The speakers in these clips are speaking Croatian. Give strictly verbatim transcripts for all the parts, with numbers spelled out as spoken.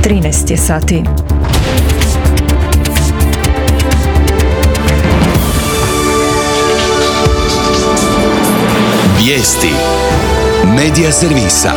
trinaest je sati. Vijesti Medija servisa.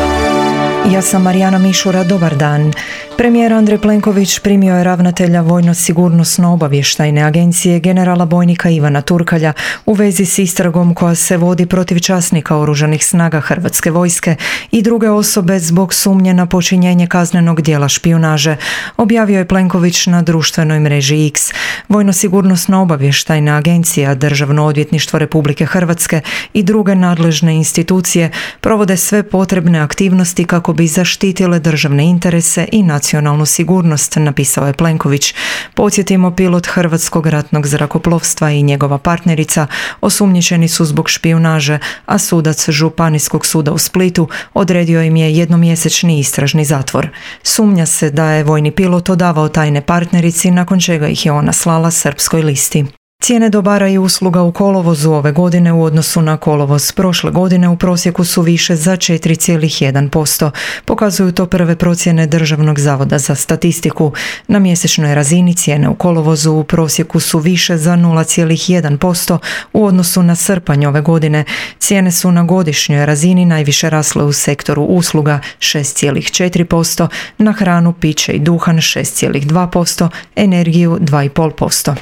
Ja sam Marijana Mišura, dobar dan. Premijer Andrej Plenković primio je ravnatelja Vojno-sigurnosno-obavještajne agencije generala bojnika Ivana Turkalja u vezi s istragom koja se vodi protiv časnika Oružanih snaga Hrvatske vojske i druge osobe zbog sumnje na počinjenje kaznenog djela špijunaže, objavio je Plenković na društvenoj mreži X. Vojno-sigurnosno-obavještajna agencija, Državno odvjetništvo Republike Hrvatske i druge nadležne institucije provode sve potrebne aktivnosti kako bi zaštitile državne interese i nacionalnu sigurnost, napisao je Plenković. Podsjetimo, pilot Hrvatskog ratnog zrakoplovstva i njegova partnerica osumnjičeni su zbog špijunaže, a sudac Županijskog suda u Splitu odredio im je jednomjesečni istražni zatvor. Sumnja se da je vojni pilot odavao tajne partnerici, nakon čega ih je ona slala srpskoj listi. Cijene dobara i usluga u kolovozu ove godine u odnosu na kolovoz prošle godine u prosjeku su više za četiri zarez jedan posto. Pokazuju to prve procjene Državnog zavoda za statistiku. Na mjesečnoj razini cijene u kolovozu u prosjeku su više za nula zarez jedan posto u odnosu na srpanj ove godine. Cijene su na godišnjoj razini najviše rasle u sektoru usluga šest zarez četiri posto, na hranu, piće i duhan šest zarez dva posto, energiju dva zarez pet posto.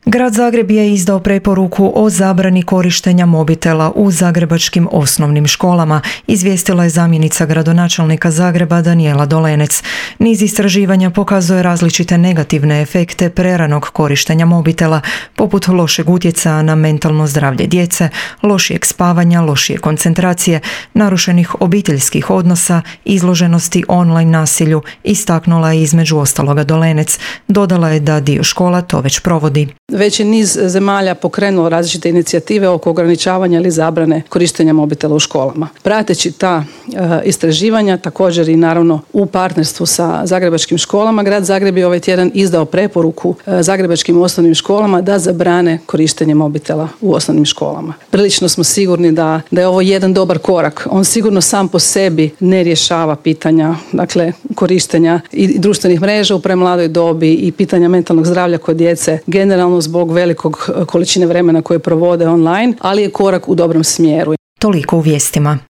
Grad Zagreb je izdao preporuku o zabrani korištenja mobitela u zagrebačkim osnovnim školama, izvijestila je zamjenica gradonačelnika Zagreba Danijela Dolenec. Niz istraživanja pokazuje različite negativne efekte preranog korištenja mobitela, poput lošeg utjecaja na mentalno zdravlje djece, lošijeg spavanja, lošije koncentracije, narušenih obiteljskih odnosa, izloženosti online nasilju, istaknula je između ostaloga Dolenec. Dodala je da dio škola to već provodi. Već je niz zemalja pokrenulo različite inicijative oko ograničavanja ili zabrane korištenja mobitela u školama. Prateći ta e, istraživanja, također i naravno u partnerstvu sa zagrebačkim školama, grad Zagreb je ovaj tjedan izdao preporuku e, zagrebačkim osnovnim školama da zabrane korištenje mobitela u osnovnim školama. Prilično smo sigurni da, da je ovo jedan dobar korak. On sigurno sam po sebi ne rješava pitanja, dakle, korištenja i društvenih mreža u premladoj dobi i pitanja mentalnog zdravlja kod djece generalno zbog velikog količine vremena koje provode online, ali je korak u dobrom smjeru. Toliko u vijestima.